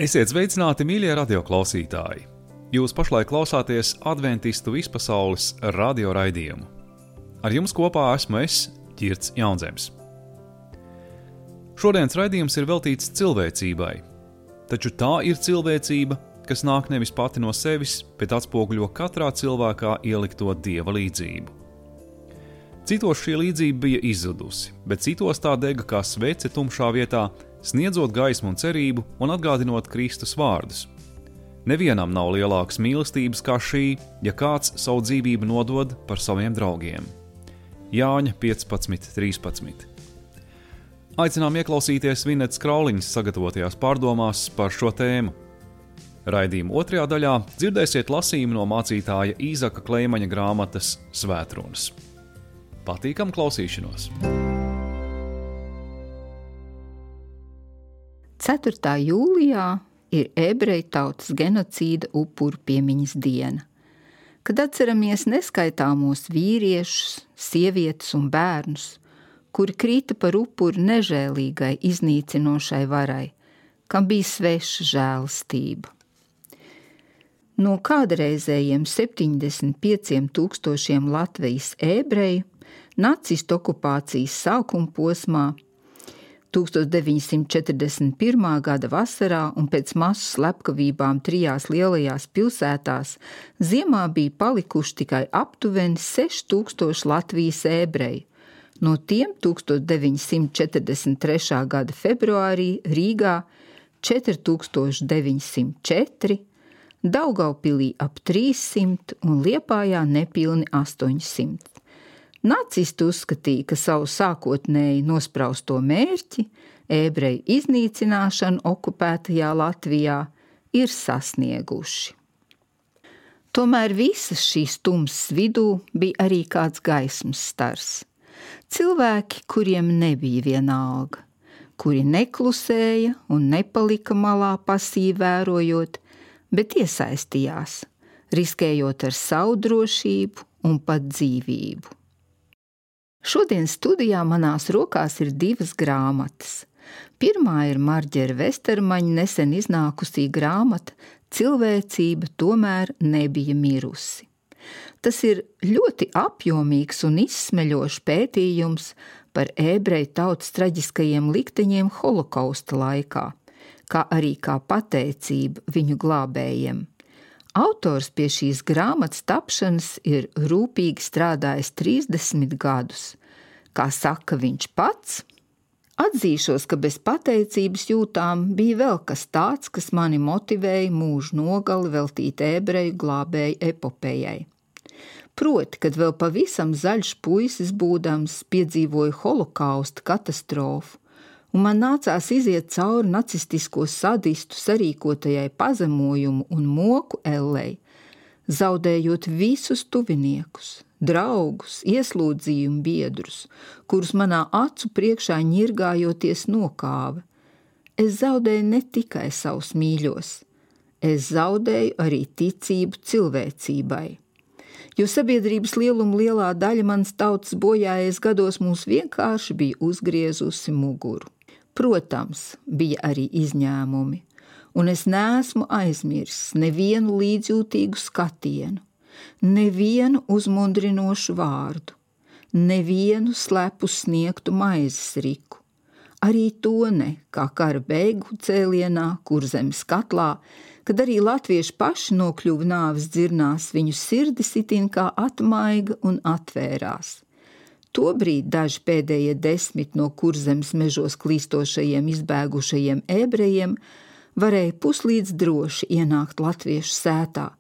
Esiet sveicināti, mīļie radioklausītāji! Jūs pašlaik klausāties Adventistu vispasaules radio raidījumu. Ar jums kopā esmu es, Ķirts Jaunzems. Šodienas raidījums ir veltīts cilvēcībai, taču tā ir cilvēcība, kas nāk nevis pati no sevis, bet atspoguļo katrā cilvēkā ielikto Dieva līdzību. Citos šī līdzība bija izzudusi, bet citos tā dega kā svece tumšā vietā, sniedzot gaismu un cerību un atgādinot Kristus vārdus. Nevienam nav lielākas mīlestības kā šī, ja kāds savu dzīvību nodod par saviem draugiem. Jāņa 15.13. Aicinām ieklausīties Vinetas Krauliņas sagatavotajās pārdomās par šo tēmu. Raidījuma otrajā daļā dzirdēsiet lasījumu no mācītāja Īzaka Kleimaņa grāmatas Svētrunas. Patīkam klausīšanos! 4. jūlijā ir ebreju tautas genocīda upuru piemiņas diena, kad atceramies neskaitāmos vīriešus, sievietes un bērnus, kuri krita par upuru nežēlīgai iznīcinošai varai, kam bija sveša žēlastība. No kādreizējiem 75,000 Latvijas ebreju nacistu okupācijas sākuma posmā 1941. gada vasarā un pēc masu slepkavībām 3 lielajās pilsētās ziemā bija palikuši tikai aptuveni 6,000 Latvijas ebreju. No tiem 1943. gada februārī Rīgā 4,904, Daugavpilī ap 300 un Liepājā nepilni 800. Nacisti uzskatīja, ka savu sākotnēji nosprausto mērķi, ebreju iznīcināšanu okupētajā Latvijā, ir sasnieguši. Tomēr visas šīs tumsas vidū bija arī kāds gaismas stars. Cilvēki, kuriem nebija vienalga, kuri neklusēja un nepalika malā pasīvi vērojot, bet iesaistījās, riskējot ar savu drošību un pat dzīvību. Šodien studijā manās rokās ir 2 grāmatas. Pirmā ir Marģera Vestermaņa nesen iznākusī grāmata Cilvēcība tomēr nebija mirusi. Tas ir ļoti apjomīgs un izsmeļošs pētījums par ebreju tautas traģiskajiem likteņiem holokausta laikā, kā arī kā pateicība viņu glābējiem. Autors pie šīs grāmatas tapšanas ir rūpīgi strādājis 30 gadus. Kā saka viņš pats, atzīšos, ka bez pateicības jūtām bija vēl kas tāds, kas mani motivēja mūžu nogali veltīt ebreju glābēju epopejai. Proti, kad vēl pavisam zaļš puisis būdams piedzīvoju holokausta katastrofu, un man nācās iziet cauri nacistisko sadistu sarīkotajai pazemojumu un moku ellei, zaudējot visus tuviniekus, draugus, ieslodzījumu biedrus, kurus manā acu priekšā ņirgājoties nokāva. Es zaudēju ne tikai savus mīļos, es zaudēju arī ticību cilvēcībai. Jo sabiedrības lieluma lielā daļa manas tautas bojājies gados mums vienkārši bija uzgriezusi muguru. Protams, bija arī izņēmumi, un es neesmu aizmirsis nevienu līdzjūtīgu skatienu, nevienu uzmundrinošu vārdu, nevienu slepu sniegtu maizes riku, arī to ne, kā kara beigu cēlienā, Kurzemes katlā, kad arī latvieši paši nokļuva nāves dzirnās, viņu sirdis itin kā atmaiga un atvērās. Tobrīd daži pēdējie 10 no Kurzemes mežos klīstošajiem izbēgušajiem ebrejiem varēja puslīdz droši ienākt latviešu sētā,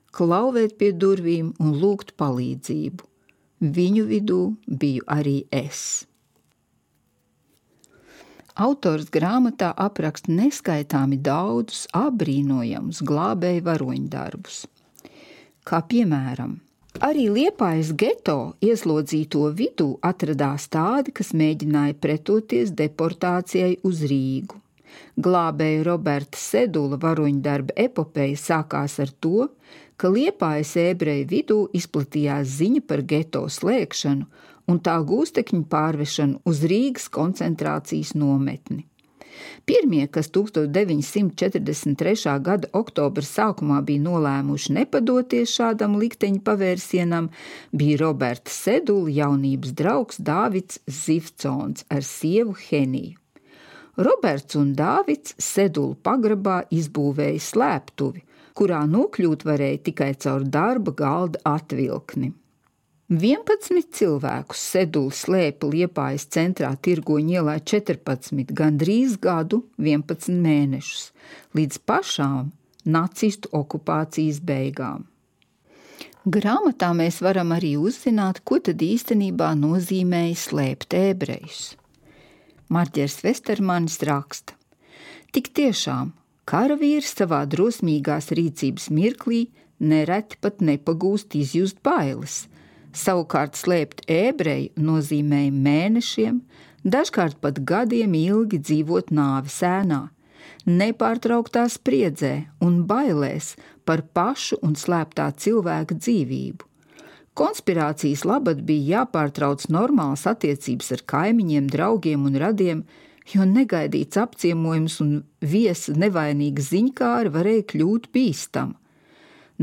klauvēt pie durvīm un lūgt palīdzību. Viņu vidū biju arī es. Autors grāmatā apraksta neskaitāmi daudzus apbrīnojamus glābēju varoņdarbus. Kā piemēram, arī Liepājas geto ieslodzīto vidū atradās tādi, kas mēģināja pretoties deportācijai uz Rīgu. Glābēja Roberta Sedula varoņdarba epopeja sākās ar to, ka Liepājas ebreju vidū izplatījās ziņa par geto slēgšanu un tā gūstekņu pārvešanu uz Rīgas koncentrācijas nometni. Pirmie, kas 1943. gada oktobra sākumā bija nolēmuši nepadoties šādam likteņa pavērsienam, bija Roberta Sedula jaunības draugs Dāvids Zivcons ar sievu Heniju. Roberts un Dāvids Sedulu pagrabā izbūvēja slēptuvi, kurā nokļūt varēja tikai caur darba galda atvilkni. 11 cilvēkus Sedula slēpa Liepājas centrā Tirgoņu ielā 14, gandrīz gadu 11 mēnešus, līdz pašām nacistu okupācijas beigām. Grāmatā mēs varam arī uzzināt, ko tad īstenībā nozīmēja slēpt ebrejus. Marģers Vestermanis raksta: Tik tiešām, karavīrs savā drosmīgās rīcības mirklī nereti pat nepagūst izjust bailes. Savukārt slēpt ebreju nozīmēja mēnešiem, dažkārt pat gadiem ilgi dzīvot nāves ēnā, nepārtrauktā spriedzē un bailēs par pašu un slēptā cilvēka dzīvību. Konspirācijas labad bija jāpārtrauc normālas attiecības ar kaimiņiem, draugiem un radiem, jo negaidīts apciemojums un viesa nevainīga ziņkāra varēja kļūt bīstama.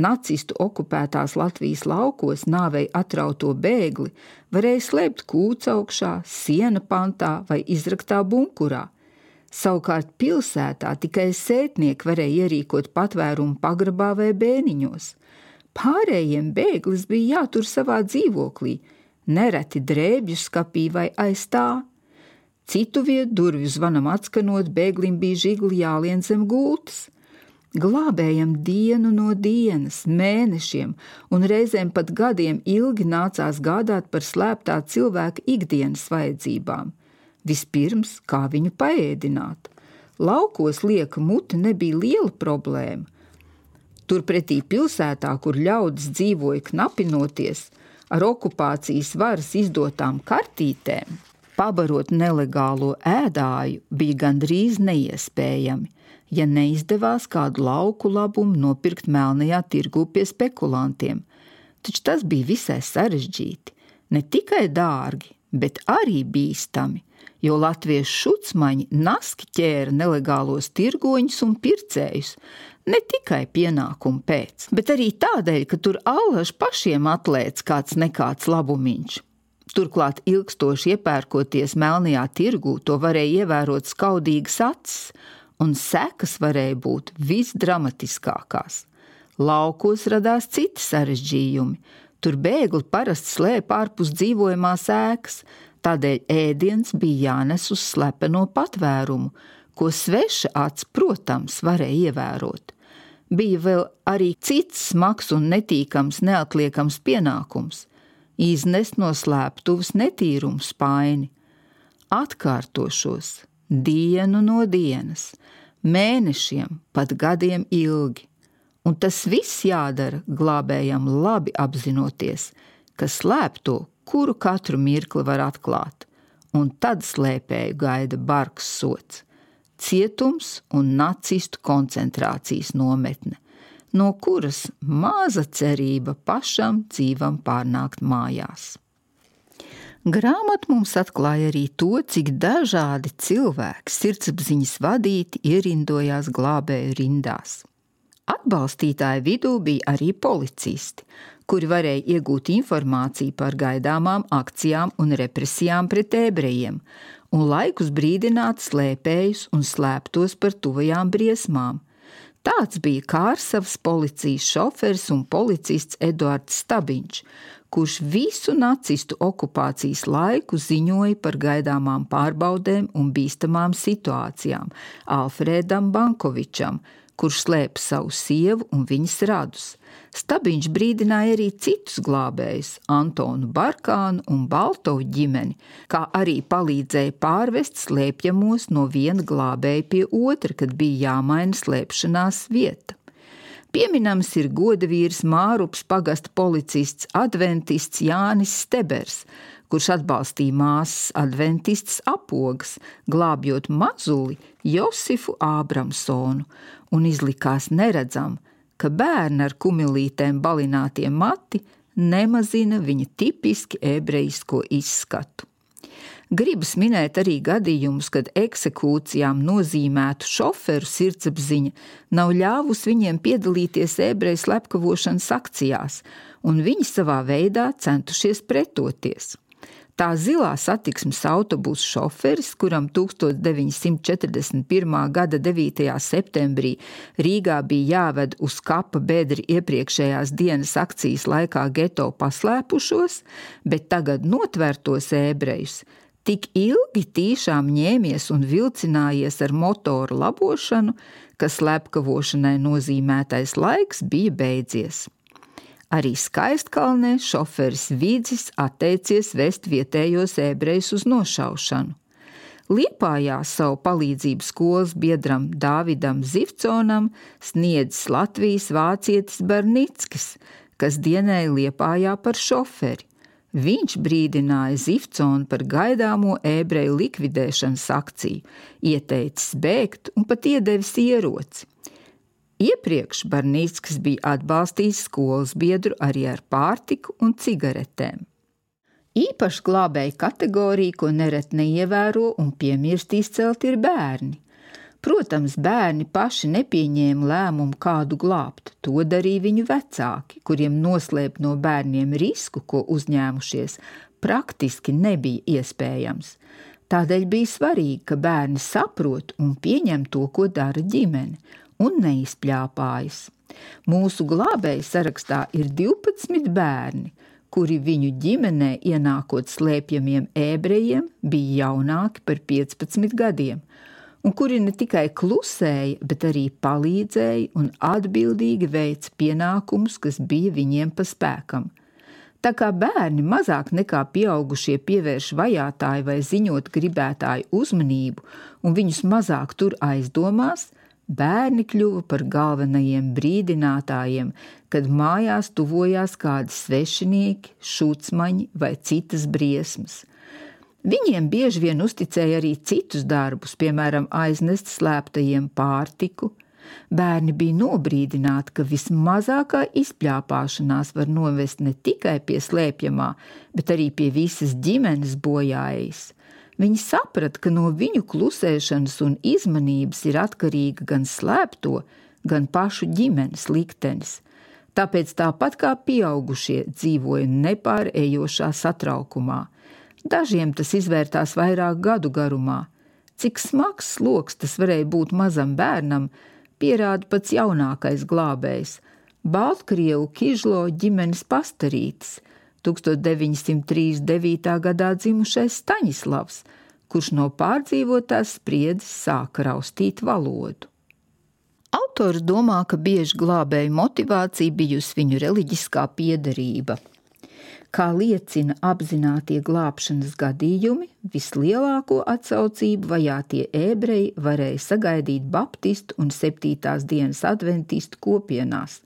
Nacistu okupētās Latvijas laukos nāvei atrauto bēgli varēja slēpt kūcaukšā, siena pantā vai izraktā bunkurā. Savukārt pilsētā tikai sētnieki varēja ierīkot patvērumu pagrabā vai bēniņos. Pārējiem bēglis bija jātur savā dzīvoklī, nereti drēbju skapī vai aiz tā. Citu vietu durvju zvanam atskanot, bēglim bija žigli jālien zem gultas. Glābējam dienu no dienas, mēnešiem un reizēm pat gadiem ilgi nācās gādāt par slēptā cilvēka ikdienas vajadzībām. Vispirms, kā viņu paēdināt. Laukos lieka mute nebija liela problēma. Turpretī pilsētā, kur ļaudis dzīvoja knapinoties, ar okupācijas varas izdotām kartītēm, pabarot nelegālo ēdāju bija gandrīz neiespējami, ja neizdevās kādu lauku labumu nopirkt melnajā tirgū pie spekulantiem. Taču tas bija visai sarežģīti, ne tikai dārgi, bet arī bīstami, jo latviešu šucmaņi naski ķēra nelegālos tirgoņus un pircējus, ne tikai pienākumu pēc, bet arī tādēļ, ka tur allaž pašiem atlēts kāds nekāds labumiņš. Turklāt ilgstoši iepērkoties melnajā tirgū, to varēja ievērot skaudīgas acis, un sekas varēja būt visdramatiskākās. Laukos radās citi sarežģījumi. Tur bēgli parasti slēpa ārpus dzīvojamās ēkas, tādēļ ēdiens bija jānes uz slepeno patvērumu, ko sveša acs, protams, varēja ievērot. Bija vēl arī cits smags un netīkams neatliekams pienākums – iznest no slēptuves netīrumu spaini. Atkārtošos dienu no dienas, mēnešiem, pat gadiem ilgi. Un tas viss jādara glābējam labi apzinoties, ka slēpto, kuru katru mirkli var atklāt, un tad slēpēju gaida bargs sots, cietums un nacistu koncentrācijas nometne, no kuras maza cerība pašam dzīvam pārnākt mājās. Grāmata mums atklāja arī to, cik dažādi cilvēki sirdsapziņas vadīti ierindojās glābēju rindās. Atbalstītāju vidū bija arī policisti, kuri varēja iegūt informāciju par gaidāmām akcijām un represijām pret ebrejiem un laikus brīdināt slēpējus un slēptos par tuvajām briesmām. Tāds bija Kārsavas policijas šoferis un policists Eduards Stabiņš, kurš visu nacistu okupācijas laiku ziņoja par gaidāmām pārbaudēm un bīstamām situācijām Alfrēdam Bankovičam, kurš slēpa savu sievu un viņas radus. Stabiņš brīdināja arī citus glābējus, Antonu Barkānu un Baltovu ģimeni, kā arī palīdzēja pārvest slēpjamos no viena glābēja pie otra, kad bija jāmaina slēpšanās vieta. Pieminams ir godavīrs Mārups pagasta policists adventists Jānis Stebers, kurš atbalstīja māsas adventistas Apogas, glābjot mazuli Josifu Ābramsonu, un izlikās neredzam, ka bērni ar kumilītēm balinātie mati nemazina viņa tipiski ebrejisko izskatu. Gribas minēt arī gadījumus, kad eksekūcijām nozīmētu šoferu sirdsapziņa nav ļāvusi viņiem piedalīties ebreju slepkavošanas akcijās, un viņi savā veidā centušies pretoties. Tā zilā satiksmes autobusa šoferis, kuram 1941. gada 9. septembrī Rīgā bija jāved uz kapa bedri iepriekšējās dienas akcijas laikā geto paslēpušos, bet tagad notvērtos ebrejus, tik ilgi tīšām ņēmies un vilcinājies ar motoru labošanu, ka slepkavošanai nozīmētais laiks bija beidzies. Arī Skaistkalnē šoferis Vidzis atteicies vest vietējos ebrejus uz nošaušanu. Liepājā savu palīdzību skolas biedram Dāvidam Zivconam sniedzis Latvijas vācietis Barnickis, kas dienēja Liepājā par šoferi. Viņš brīdināja Zivconu par gaidāmo ebreju likvidēšanas akciju, ieteicis bēgt un pat iedevis ieroci. Iepriekš Barnickis bija atbalstījis skolas biedru arī ar pārtiku un cigaretēm. Īpaši glābēju kategorija, ko nereti neievēro un piemirst izcelt, ir bērni. Protams, bērni paši nepieņēma lēmumu kādu glābt, to darīja viņu vecāki, kuriem noslēpt no bērniem risku, ko uzņēmušies, praktiski nebija iespējams. Tādēļ bija svarīgi, ka bērni saprot un pieņem to, ko dara ģimene, un neizpļāpājas. Mūsu glābēju sarakstā ir 12 bērni, kuri viņu ģimenē ienākot slēpjamiem ebrejiem bija jaunāki par 15 gadiem, un kuri ne tikai klusēja, bet arī palīdzēja un atbildīgi veica pienākumus, kas bija viņiem pa spēkam. Tā kā bērni mazāk nekā pieaugušie pievērš vajātāju vai ziņot gribētāju uzmanību un viņus mazāk tur aizdomās, bērni kļuva par galvenajiem brīdinātājiem, kad mājās tuvojās kādi svešinieki, šucmaņi vai citas briesmas. Viņiem bieži vien uzticēja arī citus darbus, piemēram, aiznest slēptajiem pārtiku. Bērni bija nobrīdināti, ka vismazākā izpļāpāšanās var novest ne tikai pie slēpjamā, bet arī pie visas ģimenes bojājas. Viņi saprata, ka no viņu klusēšanas un izmanības ir atkarīga gan slēpto, gan pašu ģimenes liktenis. Tāpēc tāpat kā pieaugušie dzīvoja nepārējošā satraukumā. Dažiem tas izvērtās vairāk gadu garumā. Cik smags sloks tas varēja būt mazam bērnam, pierāda pats jaunākais glābējs – Baltkrievu Kižlo ģimenes pastarītis, 1939. gadā dzimušais Staņislavs, kurš no pārdzīvotās spriedzes sāka raustīt valodu. Autors domā, ka bieži glābēju motivācija bijusi viņu reliģiskā piederība. Kā liecina apzinātie glābšanas gadījumi, vislielāko atsaucību vajātie ebreji varēja sagaidīt baptistu un 7. dienas adventistu kopienās,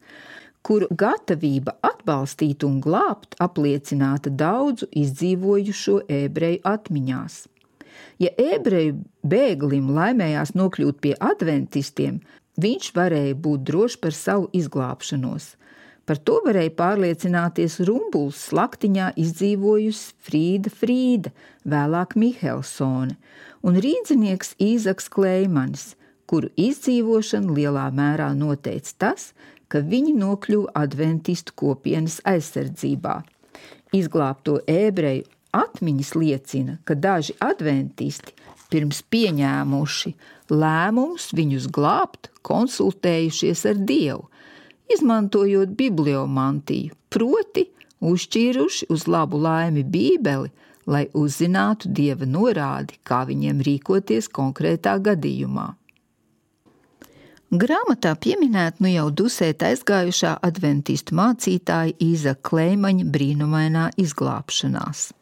kuru gatavība atbalstīt un glābt apliecināta daudzu izdzīvojušo ebreju atmiņās. Ja ebreju bēglim laimējās nokļūt pie adventistiem, viņš varēja būt drošs par savu izglābšanos. Par to varēja pārliecināties Rumbuls slaktiņā izdzīvojusi Frīda, vēlāk Mihelsone, un rīdzinieks Īzaks Kleimanis, kuru izdzīvošanu lielā mērā noteica tas, ka viņi nokļuva adventistu kopienas aizsardzībā. Izglābto ebreju atmiņas liecina, ka daži adventisti pirms pieņēmuši lēmumus viņus glābt, konsultējušies ar Dievu, izmantojot bibliomantiju, proti uzšķīruši uz labu laimi Bībeli, lai uzzinātu Dieva norādi, kā viņiem rīkoties konkrētā gadījumā. Grāmatā pieminēt nu jau dusēt aizgājušā adventistu mācītāja Īzaka Kleimaņa brīnumainā izglābšanās.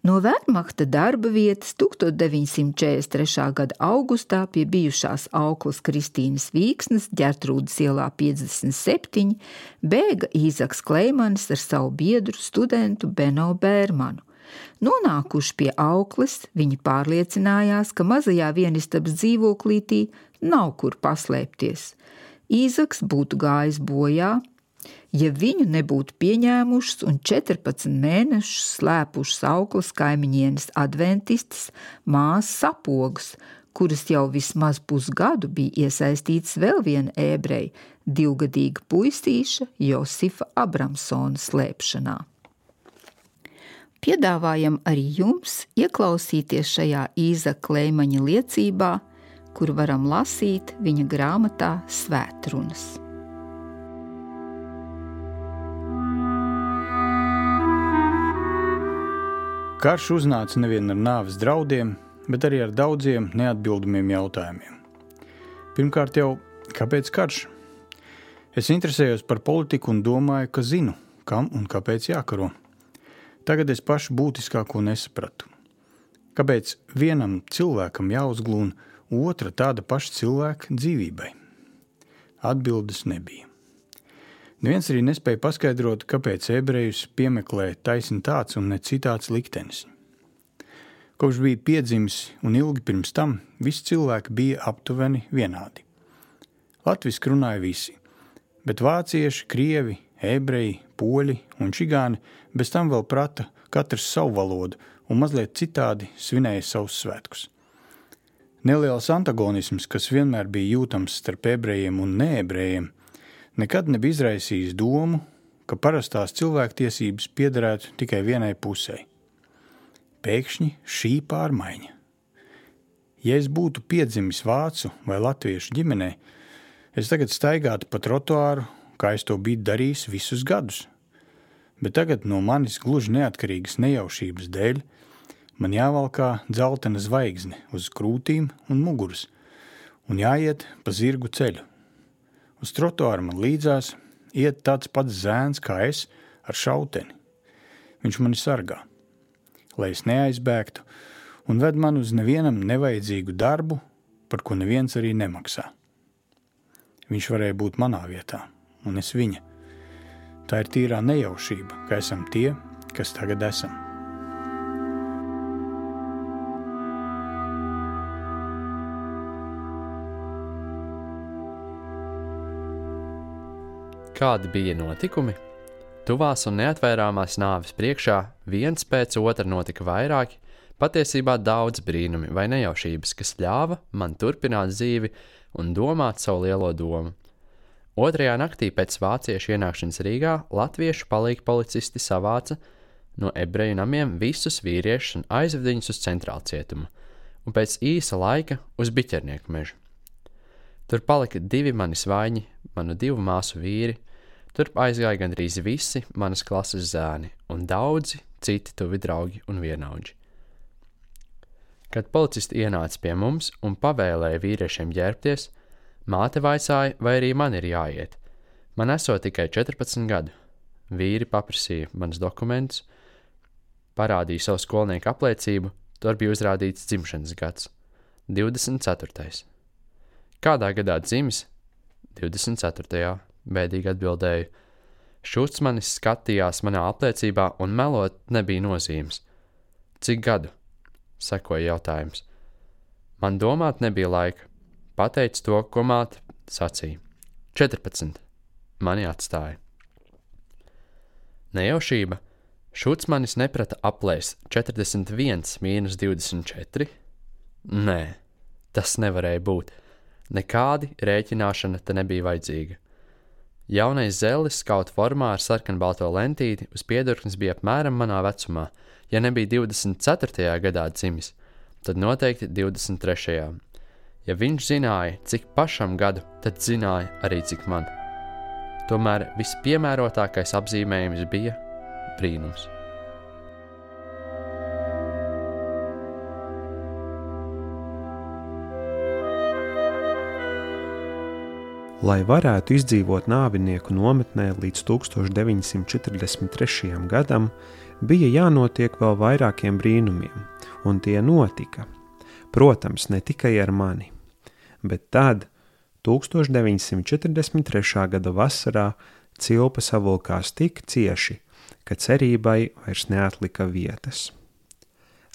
No Wehrmachta darba vietas 1943. gada augustā pie bijušās auklas Kristīnas Vīksnes Ģertrūdes ielā 57 bēga Īzaks Kleimanis ar savu biedru studentu Beno Bērmanu. Nonākuši pie aukles, viņi pārliecinājās, ka mazajā vienistabas dzīvoklītī nav kur paslēpties. Īzaks būtu gājis bojā, Ja viņu nebūtu pieņēmušas un 14 mēnešus slēpušas auklas kaimiņienes adventistes māsas Apogas, kuras jau vismaz pusgadu bija iesaistītas vēl viena ebreja, 2-gadīga puisīša Josifa Abramsona slēpšanā. Piedāvājam arī jums ieklausīties šajā Īzaka Leimaņa liecībā, kur varam lasīt viņa grāmatā Svētrunas. Karš uznāca nevien ar nāves draudiem, bet arī ar daudziem neatbildamiem jautājumiem. Pirmkārt jau, kāpēc karš? Es interesējos par politiku un domāju, ka zinu, kam un kāpēc jākaro. Tagad es pašu būtiskāko nesapratu. Kāpēc vienam cilvēkam jāuzglūn otra tāda paša cilvēka dzīvībai? Atbildes nebija. Neviens arī nespēja paskaidrot, kāpēc ebrejus piemeklē taisni tāds un ne citāds liktenis. Kopš bija piedzimis un ilgi pirms tam, visi cilvēki bija aptuveni vienādi. Latviski runāja visi, bet vācieši, krievi, ebreji, poļi un čigāni bez tam vēl prata katrs savu valodu un mazliet citādi svinēja savus svētkus. Neliels antagonisms, kas vienmēr bija jūtams starp ebrejiem un neebrejiem, nekad nebija izraisījis domu, ka parastās cilvēktiesības piederētu tikai vienai pusei. Pēkšņi šī pārmaiņa. Ja es būtu piedzimis vācu vai latviešu ģimenē, es tagad staigātu pa trotuāru, kā es to biju darījis visus gadus. Bet tagad no manis gluži neatkarīgas nejaušības dēļ man jāvalkā dzeltena zvaigzne uz krūtīm un muguras un jāiet pa zirgu ceļu. Uz trotuāru man līdzās iet tāds pats zēns kā es ar šauteni. Viņš mani sargā, lai es neaizbēgtu un ved man uz nevienam nevajadzīgu darbu, par ko neviens arī nemaksā. Viņš varēja būt manā vietā, un es viņa. Tā ir tīrā nejaušība, ka esam tie, kas tagad esam. Kādi bija notikumi? Tuvās un neatvērāmās nāves priekšā viens pēc otra notika vairāki, patiesībā daudz brīnumi vai nejaušības, kas ļāva man turpināt dzīvi un domāt savu lielo domu. Otrajā naktī pēc vāciešu ienākšanas Rīgā latviešu palīgi policisti savāca no ebreju namiem visus vīriešus un aizved viņus uz centrālcietumu, un pēc īsa laika uz Biķernieku mežu. Tur palika 2 mani svaiņi, manu 2 māsu vīri, turp aizgāja gandrīz visi manas klases zēni un daudzi citi tuvi draugi un vienaudži. Kad policisti ienāca pie mums un pavēlēja vīriešiem ģērbties, māte vaicāja, vai arī man ir jāiet. Man esot tikai 14 gadu. Vīri paprasīja manas dokumentus, parādīja savu skolnieku apliecību, tur bija uzrādīts dzimšanas gads – 24. Kādā gadā dzimis? 24. Bēdīgi atbildēju. Šuts manis skatījās manā apliecībā un melot nebija nozīmes. Cik gadu? Sekoja jautājums. Man domāt nebija laika. Pateicu to, ko māte sacīja. 14. Mani atstāja. Nejaušība. Šuts manis neprata aplēst 41 mīnus 24? Nē, tas nevarēja būt. Nekādi rēķināšana te nebija vajadzīga. Jaunais zellis skauta formā ar sarkanbalto lentīti uz piedurknes bija apmēram manā vecumā. Ja nebija 24. gadā dzimis, tad noteikti 23. Ja viņš zināja, cik pašam gadu, tad zināja arī cik man. Tomēr vispiemērotākais apzīmējums bija brīnums. Lai varētu izdzīvot nāvinieku nometnē līdz 1943. gadam, bija jānotiek vēl vairākiem brīnumiem, un tie notika. Protams, ne tikai ar mani, bet tad, 1943. gada vasarā, cilpa savilkās tik cieši, ka cerībai vairs neatlika vietas.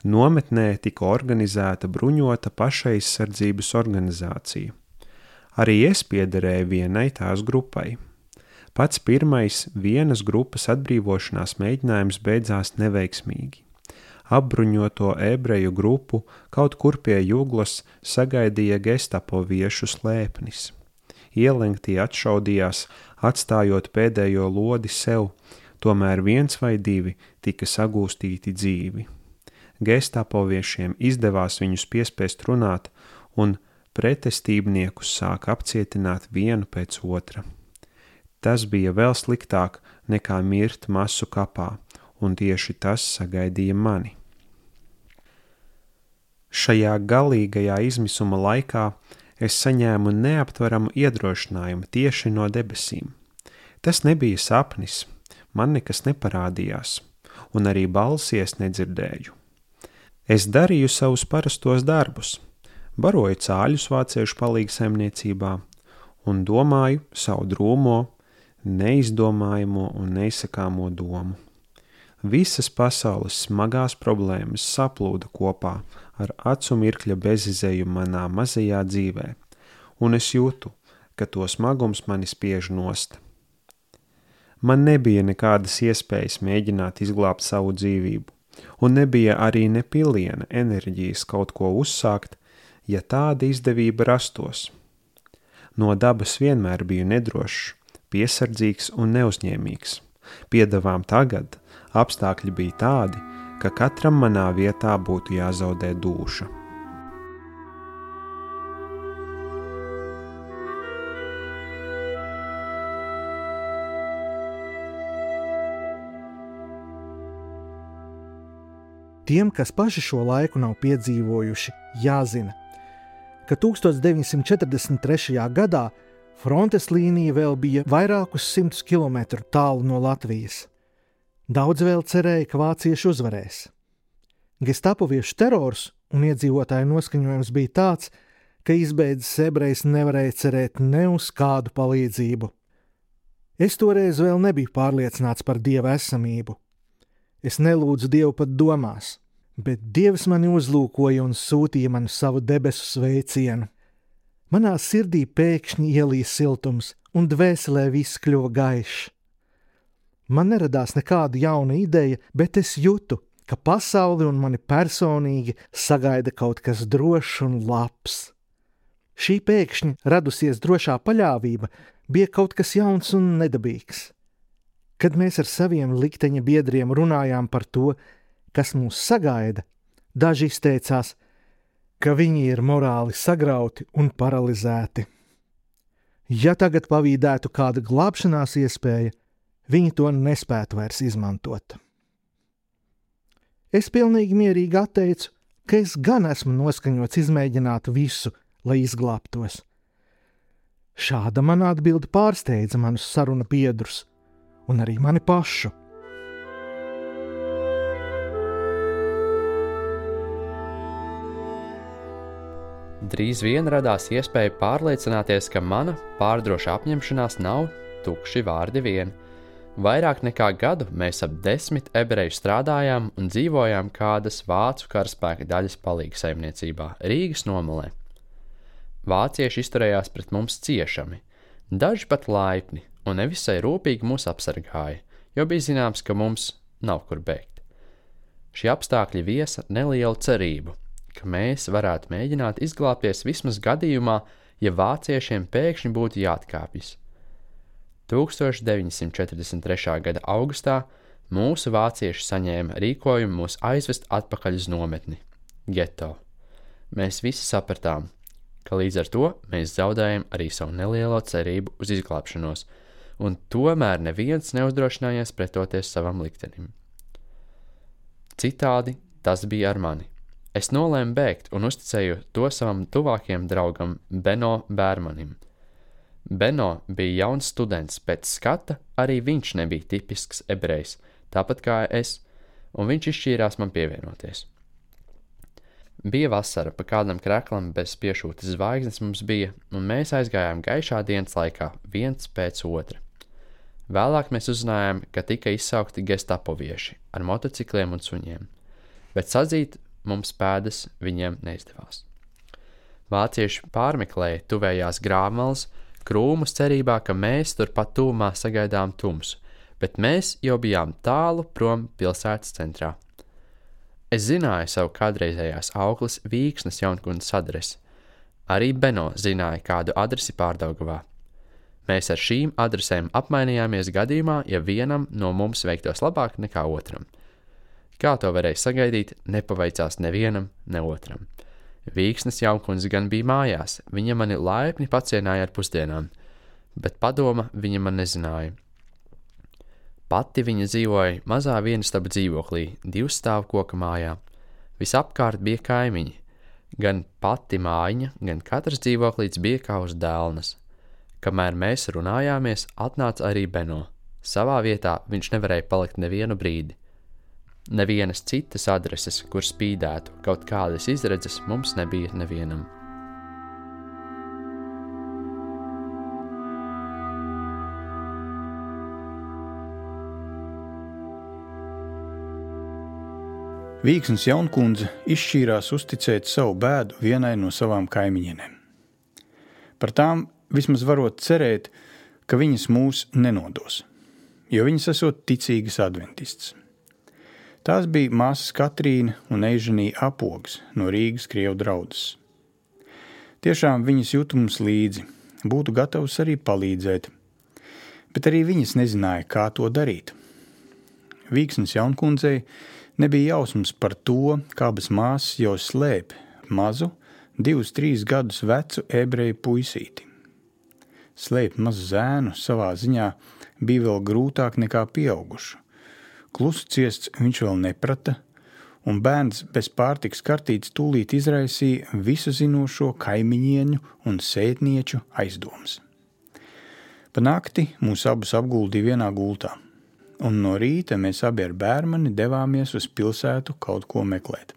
Nometnē tika organizēta bruņota pašaizsardzības organizācija. Arī es piederēju vienai tās grupai. Pats pirmais vienas grupas atbrīvošanās mēģinājums beidzās neveiksmīgi. Apbruņoto ebreju grupu kaut kur pie Juglas sagaidīja gestapo viešu slēpnis. Ielenktie atšaudījās, atstājot pēdējo lodi sev, tomēr 1 vai 2 tika sagūstīti dzīvi. Gestapoviešiem izdevās viņus piespiest runāt, un pretestībniekus sāka apcietināt vienu pēc otra. Tas bija vēl sliktāk nekā mirt masu kapā, un tieši tas sagaidīja mani. Šajā galīgajā izmisuma laikā es saņēmu neaptveramu iedrošinājumu tieši no debesīm. Tas nebija sapnis, man nekas neparādījās, un arī balsi es nedzirdēju. Es darīju savus parastos darbus, baroju cāļus vāciešu palīgsaimniecībā un domāju savu drūmo, neizdomājamo un neizsakāmo domu. Visas pasaules smagās problēmas saplūda kopā ar acu mirkļa bezizēju manā mazajā dzīvē, un es jūtu, ka to smagums mani spiež nost. Man nebija nekādas iespējas mēģināt izglābt savu dzīvību, un nebija arī ne piliena enerģijas kaut ko uzsākt, ja tāda izdevība rastos. No dabas vienmēr biju nedrošs, piesardzīgs un neuzņēmīgs. Piedevām tagad apstākļi bija tādi, ka katram manā vietā būtu jāzaudē dūša. Tiem, kas paši šo laiku nav piedzīvojuši, jāzina, ka 1943. gadā frontes līnija vēl bija vairākus 100 kilometru tālu no Latvijas. Daudz vēl cerēja, ka vācieši uzvarēs. Gestapoviešu terors un iedzīvotāju noskaņojums bija tāds, ka izbeidzis ebrejs nevarēja cerēt ne uz kādu palīdzību. Es toreiz vēl nebiju pārliecināts par Dieva esamību. Es nelūdzu Dievu pat domās, bet Dievs mani uzlūkoja un sūtīja man savu debesu sveicienu. Manā sirdī pēkšņi ielīja siltums, un dvēselē viss kļuva gaišs. Man neradās nekāda jauna ideja, bet es jūtu, ka pasauli un mani personīgi sagaida kaut kas drošs un labs. Šī pēkšņi radusies drošā paļāvība bija kaut kas jauns un nedabīgs. Kad mēs ar saviem likteņa biedriem runājām par to, kas mūs sagaida, daži izteicās, ka viņi ir morāli sagrauti un paralizēti. Ja tagad pavīdētu kāda glābšanās iespēja, viņi to nespētu vairs izmantot. Es pilnīgi mierīgi atteicu, ka es gan esmu noskaņots izmēģināt visu, lai izglābtos. Šāda mana atbilde pārsteidza manus saruna biedrus un arī mani pašu. Drīz vien radās iespēja pārliecināties, ka mana pārdroša apņemšanās nav tukši vārdi vien. Vairāk nekā gadu mēs ap 10 ebreju strādājām un dzīvojām kādas vācu karaspēka daļas palīgsaimniecībā Rīgas nomalē. Vācieši izturējās pret mums ciešami, daži pat laipni un nevisai rūpīgi mūs apsargāja, jo bija zināms, ka mums nav kur bēgt. Šie apstākļi viesa nelielu cerību, ka mēs varētu mēģināt izglābties vismaz gadījumā, ja vāciešiem pēkšņi būtu jāatkāpjas. 1943. gada augustā mūsu vācieši saņēma rīkojumu mūs aizvest atpakaļ uz nometni, geto. Mēs visi sapratām, ka līdz ar to mēs zaudējam arī savu nelielo cerību uz izglābšanos, un tomēr neviens neuzdrošinājās pretoties savam liktenim. Citādi tas bija ar mani. Es nolēmu bēgt un uzticēju to savam tuvākajam draugam Beno Bērmanim. Beno bija jauns students, pēc skata arī viņš nebija tipisks ebrejs, tāpat kā es, un viņš izšķīrās man pievienoties. Bija vasara, pa kādam kreklam bez piešūtas zvaigznes mums bija, un mēs aizgājām gaišā dienas laikā viens pēc otra. Vēlāk mēs uzzinājām, ka tika izsaukti gestapovieši ar motocikliem un suņiem, bet sadzīt mums pēdas viņiem neizdevās. Vācieši pārmeklēja tuvējās Grāvmalas, krūmus cerībā, ka mēs turpat tūmā sagaidām tumsu, bet mēs jau bijām tālu prom pilsētas centrā. Es zināju savu kādreizējās aukles Vīksnas Jaunkundzes adresi. Arī Beno zināja kādu adresi Pārdaugavā. Mēs ar šīm adresēm apmainījāmies gadījumā, ja vienam no mums veiktos labāk nekā otram. Kā to varēja sagaidīt, nepavaicās nevienam, ne otram. Vīksnas Jaunkundze gan bija mājās, viņa mani laipni pacienāja ar pusdienām, bet padoma viņa man nezināja. Pati viņa dzīvoja mazā vienistaba dzīvoklī, 2 stāvu koka mājā. Visapkārt bija kaimiņi. Gan pati mājiņa, gan katrs dzīvoklīts bija kā uz dēlnas. Kamēr mēs runājāmies, atnāca arī Beno. Savā vietā viņš nevarēja palikt nevienu brīdi. Nevienas citas adreses, kur spīdētu kaut kādas izredzes, mums nebija nevienam. Vīksnas Jaunkundze izšķīrās uzticēt savu bēdu vienai no savām kaimiņienēm. Par tām vismaz varot cerēt, ka viņas mūs nenodos, jo viņas esot ticīgas adventists. Tās bija māsas Katrīna un Eiženija Apogs no Rīgas Krievu draudzes. Tiešām viņas jūt mums līdzi, būtu gatavs arī palīdzēt, bet arī viņas nezināja, kā to darīt. Vīksnas Jaunkundzei nebija jausmas par to, kā abas māsas jau slēp mazu, 2-3 gadus vecu ebreju puisīti. Slēpt mazu zēnu savā ziņā bija vēl grūtāk nekā pieaugušu. Klusu ciests viņš vēl neprata, un bērns bez pārtikas kartītes tūlīt izraisīja visu zinošo kaimiņieņu un sētnieču aizdomas. Pa nakti mūs abus apguldīja vienā gultā, un no rīta mēs abi ar bērmani devāmies uz pilsētu kaut ko meklēt.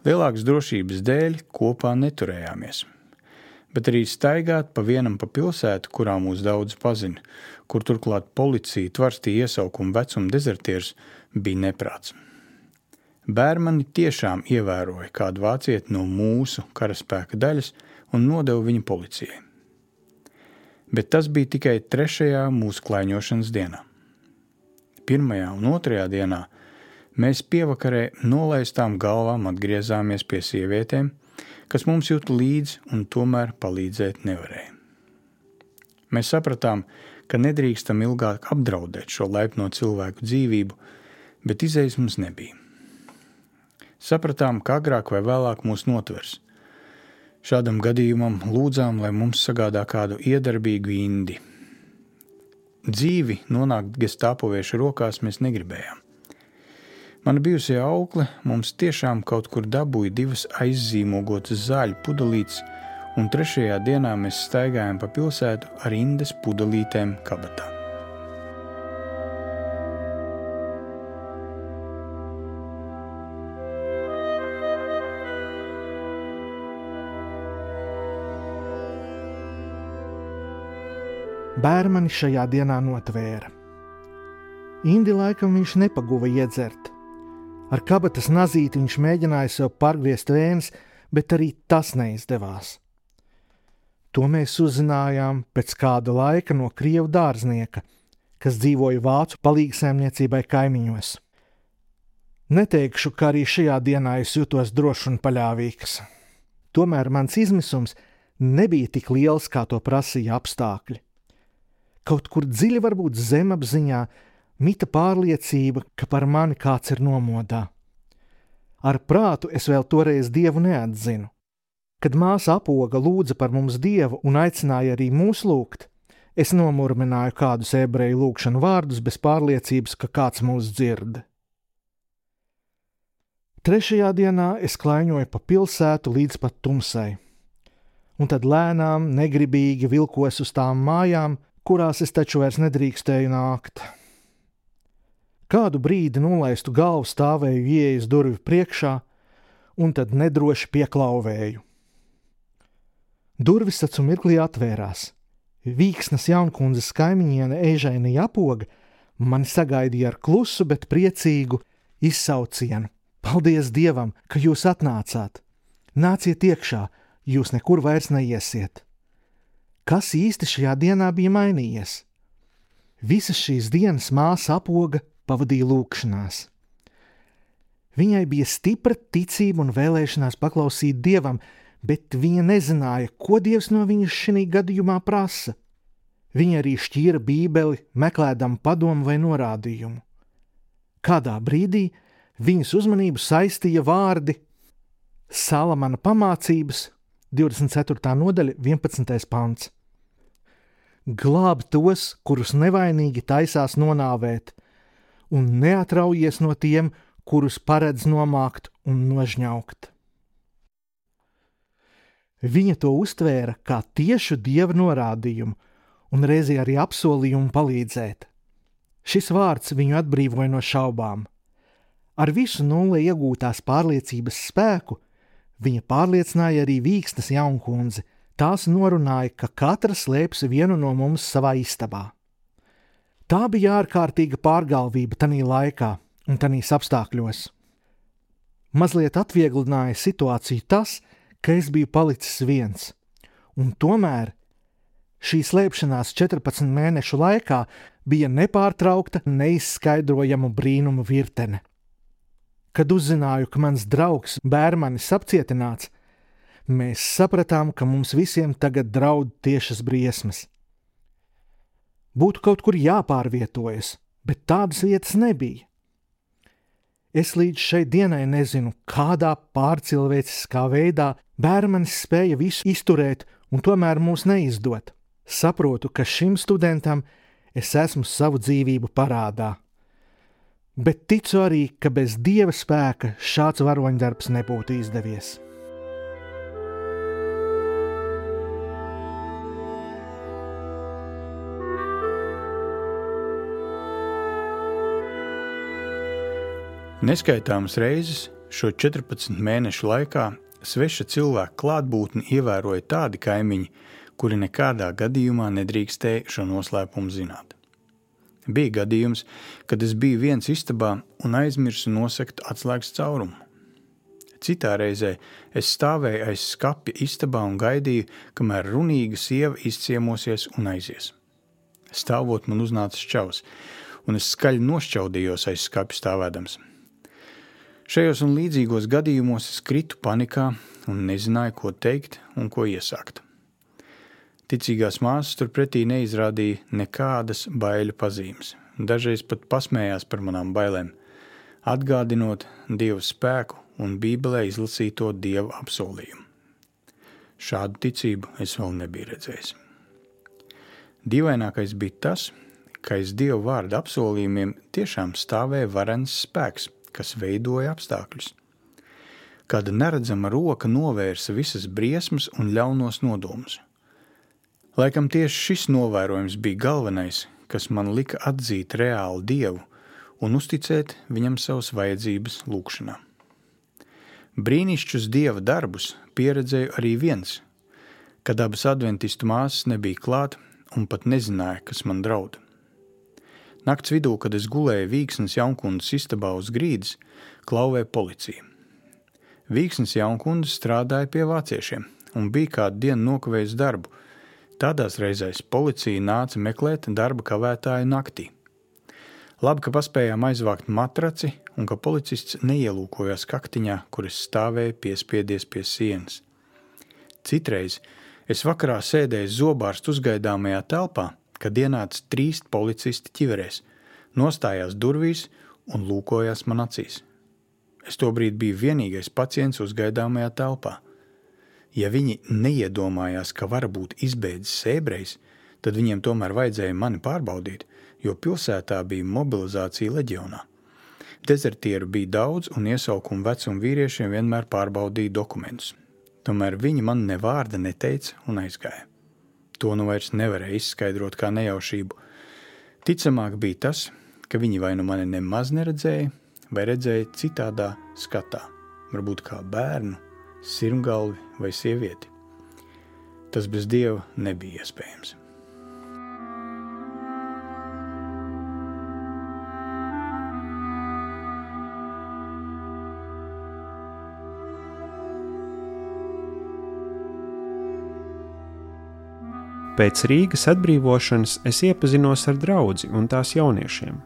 Lielākas drošības dēļ kopā neturējāmies, bet arī staigāt pa vienam pa pilsētu, kurā mūs daudz pazina, kur turklāt policija tvarstīja iesaukumu vecuma dezertierus, bija neprāts. Bērmani tiešām ievēroja kādu vācieti no mūsu karaspēka daļas un nodeva viņu policijai. Bet tas bija tikai 3. mūsu klaiņošanas dienā. 1. un 2. dienā mēs pievakarē nolaistām galvām atgriezāmies pie sievietēm, kas mums jūt līdzi un tomēr palīdzēt nevarēja. Mēs sapratām, ka nedrīkstam ilgāk apdraudēt šo laipno cilvēku dzīvību, bet izejas mums nebija. Sapratām, ka agrāk vai vēlāk mūs notvers. Šādam gadījumam lūdzām, lai mums sagādā kādu iedarbīgu indi. Dzīvi nonākt gestāpoviešu rokās mēs negribējām. Mana bijusī aukle mums tiešām kaut kur dabūja 2 aizzīmogotas zāļu pudelītes, un 3. dienā mēs staigājām pa pilsētu ar indes pudelītēm kabatā. Bērmani šajā dienā notvēra. Indi laikam viņš nepaguva iedzert. Ar kabatas nazīti viņš mēģināja sev pārgriezt vēnes, bet arī tas neizdevās. To mēs uzzinājām pēc kāda laika no krievu dārznieka, kas dzīvoja vācu palīgsaimniecībai kaimiņos. Neteikšu, ka arī šajā dienā es jutos drošs un paļāvīgs. Tomēr mans izmisums nebija tik liels, kā to prasīja apstākļi. Kaut kur dziļi varbūt zemapziņā mita pārliecība, ka par mani kāds ir nomodā. Ar prātu es vēl toreiz Dievu neatzinu. Kad māsa Apoga lūdza par mums Dievu un aicināja arī mūs lūgt, es nomurmināju kādus ebreju lūgšanu vārdus bez pārliecības, ka kāds mūs dzird. 3. dienā es klaiņoju pa pilsētu līdz pat tumsai, un tad lēnām, negribīgi vilkos uz tām mājām, kurās es taču vairs nedrīkstēju nākt. Kādu brīdi nolaistu galvu stāvēju ieejas durvju priekšā, un tad nedroši pieklauvēju. Durvis taču mirklī atvērās. Vīksnas Jaunkundzes kaimiņiene Eiženija Apoga mani sagaidīja ar klusu, bet priecīgu izsaucienu. Paldies Dievam, ka jūs atnācāt! Nāciet iekšā, jūs nekur vairs neiesiet! Kas īsti šajā dienā bija mainījies? Visas šīs dienas māsa Apoga pavadīja lūgšanās. Viņai bija stipra ticība un vēlēšanās paklausīt Dievam, bet viņa nezināja, ko Dievs no viņas šī gadījumā prasa. Viņa arī šķīra Bībeli, meklēdama padomu vai norādījumu. Kādā brīdī viņas uzmanību saistīja vārdi Salamana pamācības, 24. nodaļa, 11. pants. Glāb tos, kurus nevainīgi taisās nonāvēt, un neatraujies no tiem, kurus paredz nomākt un nožņaukt. Viņa to uztvēra kā tiešu Dieva norādījumu un reizē arī apsolījumu palīdzēt. Šis vārds viņu atbrīvoja no šaubām. Ar visu nulle iegūtās pārliecības spēku viņa pārliecināja arī Vīksnes jaunkundzi. Tās norunāja, ka katra slēps vienu no mums savā istabā. Tā bija ārkārtīga pārgalvība tanī laikā un tanīs apstākļos. Mazliet atvieglināja situāciju tas, ka es biju palicis viens, un tomēr šī slēpšanās 14 mēnešu laikā bija nepārtraukta, neizskaidrojama brīnumu virtene. Kad uzzināju, ka mans draugs Bērmanis apcietināts, mēs sapratām, ka mums visiem tagad draud tiešas briesmas. Būtu kaut kur jāpārvietojas, bet tādas vietas nebija. Es līdz šai dienai nezinu, kādā pārcilvēciskā veidā Bērmanis spēja visu izturēt un tomēr mūs neizdot. Saprotu, ka šim studentam es esmu savu dzīvību parādā. Bet ticu arī, ka bez Dieva spēka šāds varoņdarbs nebūtu izdevies. Neskaitāmas reizes šo 14 mēnešu laikā sveša cilvēka klātbūtni ievēroja tādi kaimiņi, kuri nekādā gadījumā nedrīkstēja šo noslēpumu zināt. Bija gadījums, kad es biju viens istabā un aizmirsu nosegt atslēgas caurumu. Citā reizē es stāvēju aiz skapja istabā un gaidīju, kamēr runīga sieva izciemosies un aizies. Stāvot man uznāca šķaus, un es skaļi nošķaudījos aiz skapja stāvēdams. Šajos un līdzīgos gadījumos es kritu panikā un nezināju, ko teikt un ko iesākt. Ticīgās māsas turpretī neizrādīja nekādas baiļu pazīmes. Dažreiz pat pasmējās par manām bailēm, atgādinot Dieva spēku un Bībelē izlasīto Dieva apsolījumu. Šādu ticību es vēl nebiju redzējis. Dīvainākais bija tas, ka aiz Dieva vārda apsolījumiem tiešām stāvēja varens spēks, kas veidoja apstākļus. Kāda neredzama roka novērsa visas briesmas un ļaunos nodomus. Laikam tieši šis novērojums bija galvenais, kas man lika atzīt reālu Dievu un uzticēt viņam savas vajadzības lūgšanā. Brīnišķus Dieva darbus pieredzēju arī viens, kad abas adventistu māsas nebija klāt un pat nezināja, kas man draud. Nakts vidū, kad es gulēju Vīksnes jaunkundas istabā uz grīdas, klauvēja policija. Vīksnes jaunkundze strādāja pie vāciešiem un bija kādu dienu nokavējis darbu. Tādās reizēs policija nāca meklēt darba kavētāju naktī. Labi, ka paspējām aizvākt matraci un ka policists neielūkojās kaktiņā, kur es stāvēju piespiedies pie sienas. Citreiz es vakarā sēdēju zobārstu uzgaidāmajā telpā, kad ienāca 3 policisti ķiverēs, nostājās durvīs un lūkojās man acīs. Es tobrīd biju vienīgais pacients uzgaidāmajā telpā. Ja viņi neiedomājās, ka var būt izbēdzis ebrejs, tad viņiem tomēr vajadzēja mani pārbaudīt, jo pilsētā bija mobilizācija leģionā. Dezertieru bija daudz un iesaukuma vecuma vīriešiem vienmēr pārbaudīja dokumentus. Tomēr viņi man ne vārda neteica un aizgāja. To nu vairs nevarēja izskaidrot kā nejaušību. Ticamāk bija tas, ka viņi vai nu mani nemaz neredzēja, vai redzēja citādā skatā, varbūt kā bērnu, sirmgalvi vai sievieti. Tas bez Dieva nebija iespējams. Pēc Rīgas atbrīvošanas es iepazinos ar draudzi un tās jauniešiem.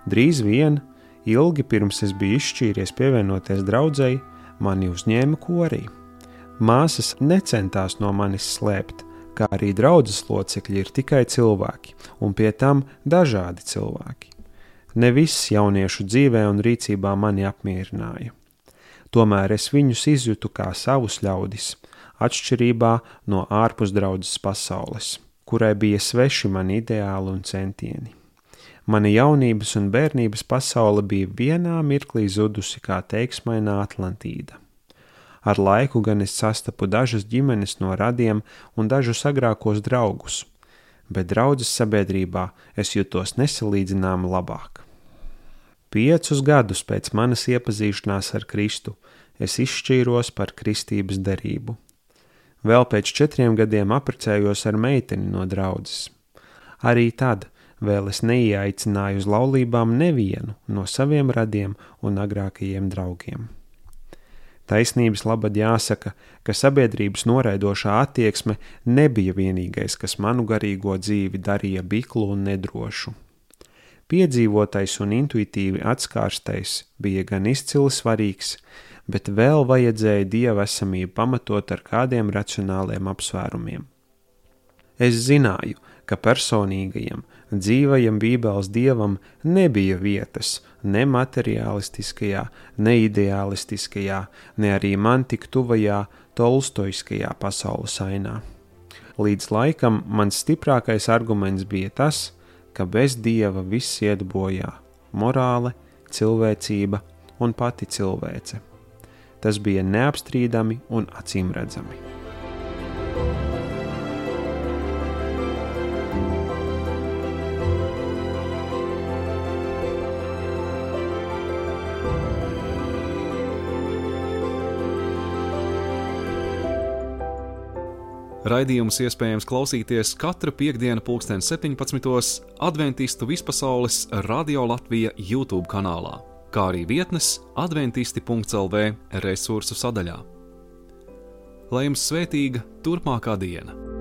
Drīz vien, ilgi pirms es biju izšķīries pievienoties draudzei, mani uzņēma korī. Māsas necentās no manis slēpt, kā arī draudzes locekļi ir tikai cilvēki, un pie tam dažādi cilvēki. Ne viss jauniešu dzīvē un rīcībā mani apmierināja. Tomēr es viņus izjūtu kā savus ļaudis, atšķirībā no ārpusdraudzes pasaules, kurai bija sveši mani ideāli un centieni. Mana jaunības un bērnības pasaule bija vienā mirklī zudusi kā teiksmainā Atlantīda. Ar laiku gan es sastapu dažas ģimenes no radiem un dažus agrākos draugus, bet draudzes sabiedrībā es jutos nesalīdzināmi labāk. 5 gadus pēc manas iepazīšanās ar Kristu es izšķīros par kristības derību. Vēl pēc 4 gadiem apprecējos ar meiteni no draudzes. Arī tad vēl es neieaicināju uz laulībām nevienu no saviem radiem un agrākajiem draugiem. Taisnības labad jāsaka, ka sabiedrības noraidošā attieksme nebija vienīgais, kas manu garīgo dzīvi darīja biklu un nedrošu. Piedzīvotais un intuitīvi atskārstais bija gan izcili svarīgs, bet vēl vajadzēja Dieva esamību pamatot ar kādiem racionāliem apsvērumiem. Es zināju, ka personīgajam, dzīvajam Bībeles Dievam nebija vietas ne materiālistiskajā, ne ideālistiskajā, ne arī man tik tuvajā tolstoiskajā pasaules ainā. Līdz laikam mans stiprākais arguments bija tas, ka bez Dieva viss iet bojā – morāle, cilvēcība un pati cilvēce. Tas bija neapstrīdami un acīmredzami. Raidījums iespējams klausīties katru piektdienu 17:00 Adventistu vispasaules Radio Latvija YouTube kanālā, kā arī vietnes adventisti.lv resursu sadaļā. Lai jums svētīga turpmākā diena!